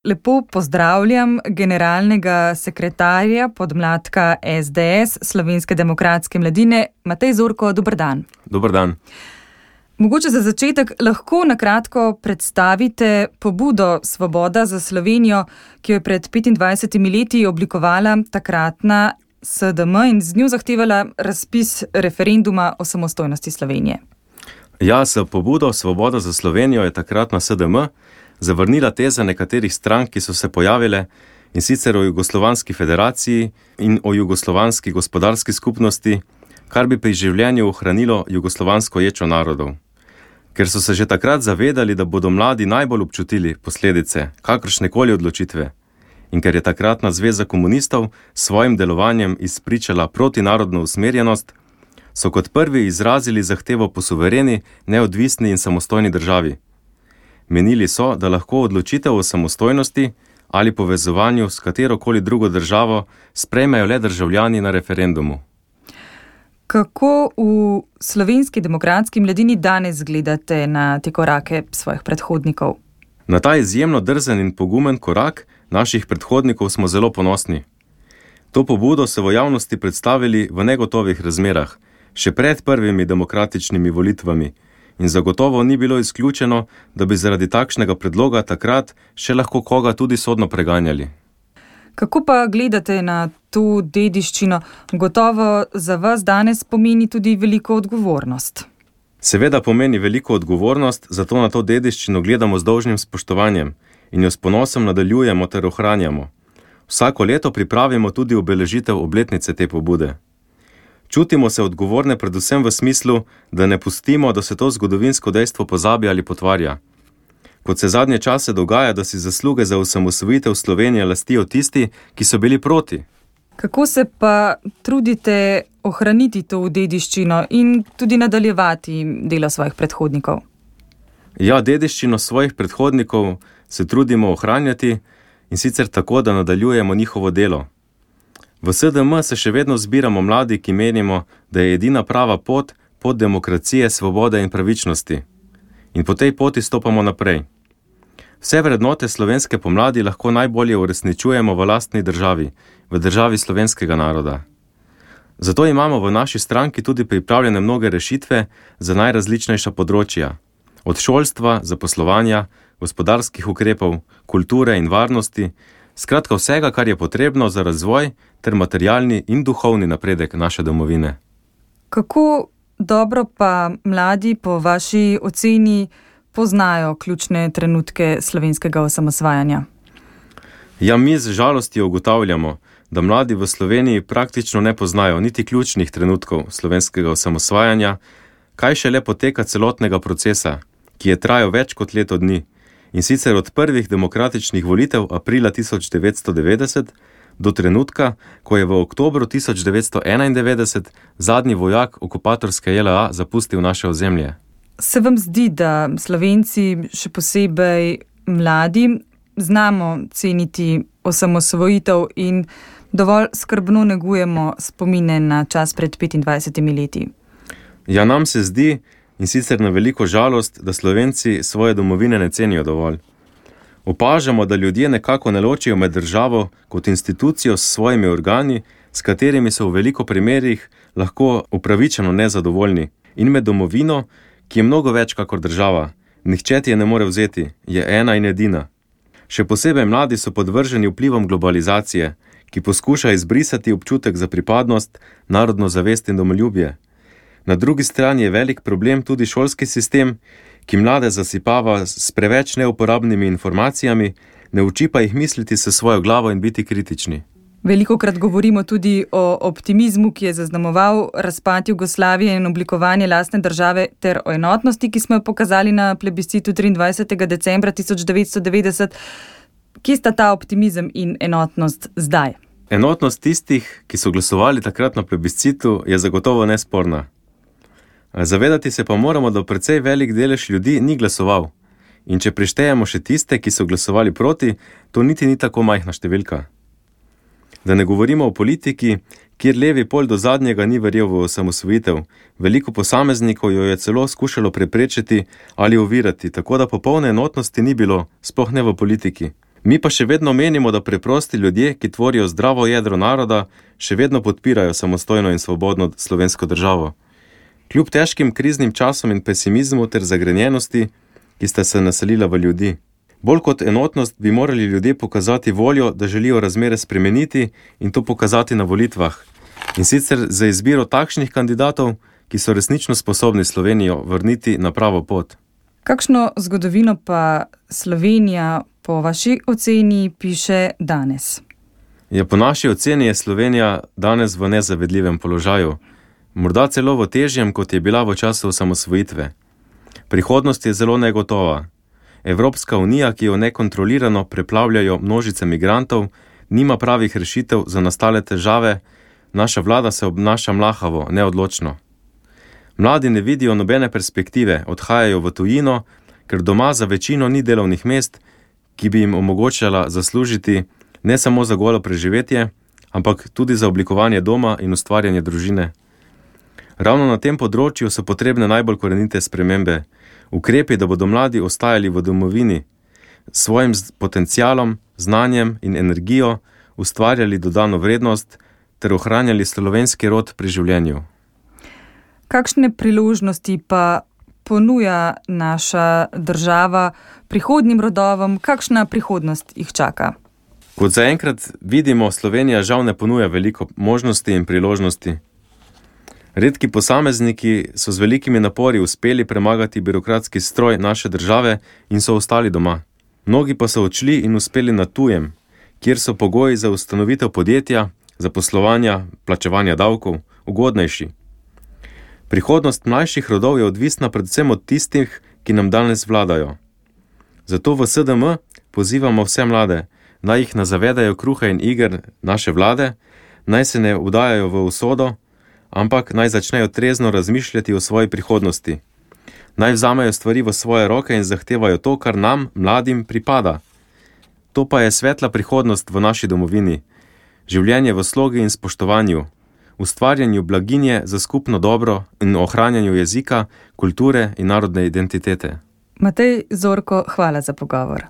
Lepo pozdravljam generalnega sekretarja podmladka SDS Slovenske demokratske mladine, Matej Zorko, dober dan. Dober dan. Mogoče za začetek lahko na kratko predstavite pobudo Svoboda za Slovenijo, ki jo je pred 25 leti oblikovala takratna SDM in z njo zahtevala razpis referenduma o samostojnosti Slovenije. Ja, s pobudo Svoboda za Slovenijo je takratna SDM zavrnila teze nekaterih strank, ki so se pojavile, in sicer o Jugoslovanski federaciji in o Jugoslovanski gospodarski skupnosti, kar bi pri življenju ohranilo jugoslovansko ječo narodov. Ker so se že takrat zavedali, da bodo mladi najbolj občutili posledice kakršnekoli odločitve in ker je takratna zveza komunistov s svojim delovanjem izpričala protinarodno usmerjenost, so kot prvi izrazili zahtevo po suvereni, neodvisni in samostojni državi. Menili so, da lahko odločitev o samostojnosti ali povezovanju s katerokoli drugo državo sprejmejo le državljani na referendumu. Kako v Slovenski demokratski mladini danes gledate na te korake svojih predhodnikov? Na ta izjemno drzen in pogumen korak naših predhodnikov smo zelo ponosni. To pobudo so v javnosti predstavili v negotovih razmerah, še pred prvimi demokratičnimi volitvami, in zagotovo ni bilo izključeno, da bi zaradi takšnega predloga takrat še lahko koga tudi sodno preganjali. Kako pa gledate na to dediščino? Gotovo za vas danes pomeni tudi veliko odgovornost. Seveda pomeni veliko odgovornost, zato na to dediščino gledamo z dolžnim spoštovanjem in jo s ponosom nadaljujemo ter ohranjamo. Vsako leto pripravimo tudi obeležitev obletnice te pobude. Čutimo se odgovorne predvsem v smislu, da ne pustimo, da se to zgodovinsko dejstvo pozabi ali potvarja. Kot se zadnje čase dogaja, da si zasluge za osamosvojitev Slovenije lastijo tisti, ki so bili proti. Kako se pa trudite ohraniti to dediščino in tudi nadaljevati delo svojih predhodnikov? Ja, dediščino svojih predhodnikov se trudimo ohranjati in sicer tako, da nadaljujemo njihovo delo. V SDM se še vedno zbiramo mladi, ki menimo, da je edina prava pot demokracije, svobode in pravičnosti. In po tej poti stopamo naprej. Vse vrednote slovenske pomladi lahko najbolje uresničujemo v lastni državi, v državi slovenskega naroda. Zato imamo v naši stranki tudi pripravljene mnoge rešitve za najrazličnejša področja. Od šolstva, zaposlovanja, gospodarskih ukrepov, kulture in varnosti, skratka vsega, kar je potrebno za razvoj ter materialni in duhovni napredek naše domovine. Kako dobro pa mladi po vaši oceni poznajo ključne trenutke slovenskega osamosvajanja? Ja, mi z žalostjo ugotavljamo, da mladi v Sloveniji praktično ne poznajo niti ključnih trenutkov slovenskega osamosvajanja, kaj šele poteka celotnega procesa, ki je trajal več kot leto dni, in sicer od prvih demokratičnih volitev aprila 1990 do trenutka, ko je v oktobru 1991 zadnji vojak okupatorske JLA zapustil naše ozemlje. Se vam zdi, da Slovenci, še posebej mladi, znamo ceniti osamosvojitev in dovolj skrbno negujemo spomine na čas pred 25 leti? Ja, nam se zdi, in sicer na veliko žalost, da Slovenci svoje domovine ne cenijo dovolj. Opažamo, da ljudje nekako ne ločijo med državo kot institucijo s svojimi organi, s katerimi so v veliko primerih lahko upravičeno nezadovoljni, in med domovino, ki je mnogo več kakor država. Nihče ti je ne more vzeti, je ena in edina. Še posebej mladi so podvrženi vplivom globalizacije, ki poskuša izbrisati občutek za pripadnost, narodno zavest in domoljubje. Na drugi strani je velik problem tudi šolski sistem, ki mlade zasipava s preveč neuporabnimi informacijami, ne uči pa jih misliti s svojo glavo in biti kritični. Velikokrat govorimo tudi o optimizmu, ki je zaznamoval razpad Jugoslavije in oblikovanje lastne države, ter o enotnosti, ki smo jo pokazali na plebiscitu 23. decembra 1990. Kje sta ta optimizem in enotnost zdaj? Enotnost tistih, ki so glasovali takrat na plebiscitu, je zagotovo nesporna. Zavedati se pa moramo, da precej velik delež ljudi ni glasoval. In če prištejemo še tiste, ki so glasovali proti, to niti ni tako majhna številka. Da ne govorimo o politiki, kjer levi pol do zadnjega ni verjel v osamosvojitev, veliko posameznikov jo je celo skušalo preprečiti ali ovirati, tako da popolne enotnosti ni bilo, sploh ne v politiki. Mi pa še vedno menimo, da preprosti ljudje, ki tvorijo zdravo jedro naroda, še vedno podpirajo samostojno in svobodno slovensko državo. Kljub težkim kriznim časom in pesimizmu ter zagrenjenosti, ki sta se naselila v ljudi. Bolj kot enotnost bi morali ljudje pokazati voljo, da želijo razmere spremeniti in to pokazati na volitvah. In sicer za izbiro takšnih kandidatov, ki so resnično sposobni Slovenijo vrniti na pravo pot. Kakšno zgodovino pa Slovenija po vaši oceni piše danes? Ja, po naši oceni je Slovenija danes v nezavedljivem položaju. Morda celo v težjem, kot je bila v času osamosvojitve. Prihodnost je zelo negotova. Evropska unija, ki jo nekontrolirano preplavljajo množice migrantov, nima pravih rešitev za nastale težave, naša vlada se obnaša mlahavo, neodločno. Mladi ne vidijo nobene perspektive, odhajajo v tujino, ker doma za večino ni delovnih mest, ki bi jim omogočala zaslužiti ne samo za golo preživetje, ampak tudi za oblikovanje doma in ustvarjanje družine. Ravno na tem področju so potrebne najbolj korenite spremembe. Ukrepi, da bodo mladi ostajali v domovini, s svojim potencialom, znanjem in energijo ustvarjali dodano vrednost ter ohranjali slovenski rod pri življenju. Kakšne priložnosti pa ponuja naša država prihodnjim rodovom? Kakšna prihodnost jih čaka? Kot zaenkrat vidimo, Slovenija žal ne ponuja veliko možnosti in priložnosti. Redki posamezniki so z velikimi napori uspeli premagati birokratski stroj naše države in so ostali doma. Mnogi pa so odšli in uspeli na tujem, kjer so pogoji za ustanovitev podjetja, zaposlovanja, plačevanja davkov ugodnejši. Prihodnost mlajših rodov je odvisna predvsem od tistih, ki nam danes vladajo. Zato v SDM pozivamo vse mlade, naj jih ne zavedajo kruha in iger naše vlade, naj se ne vdajajo v usodo, ampak naj začnejo trezno razmišljati o svoji prihodnosti. Naj vzamejo stvari v svoje roke in zahtevajo to, kar nam, mladim, pripada. To pa je svetla prihodnost v naši domovini. Življenje v slogi in spoštovanju, ustvarjanju blaginje za skupno dobro in ohranjanju jezika, kulture in narodne identitete. Matej Zorko, hvala za pogovor.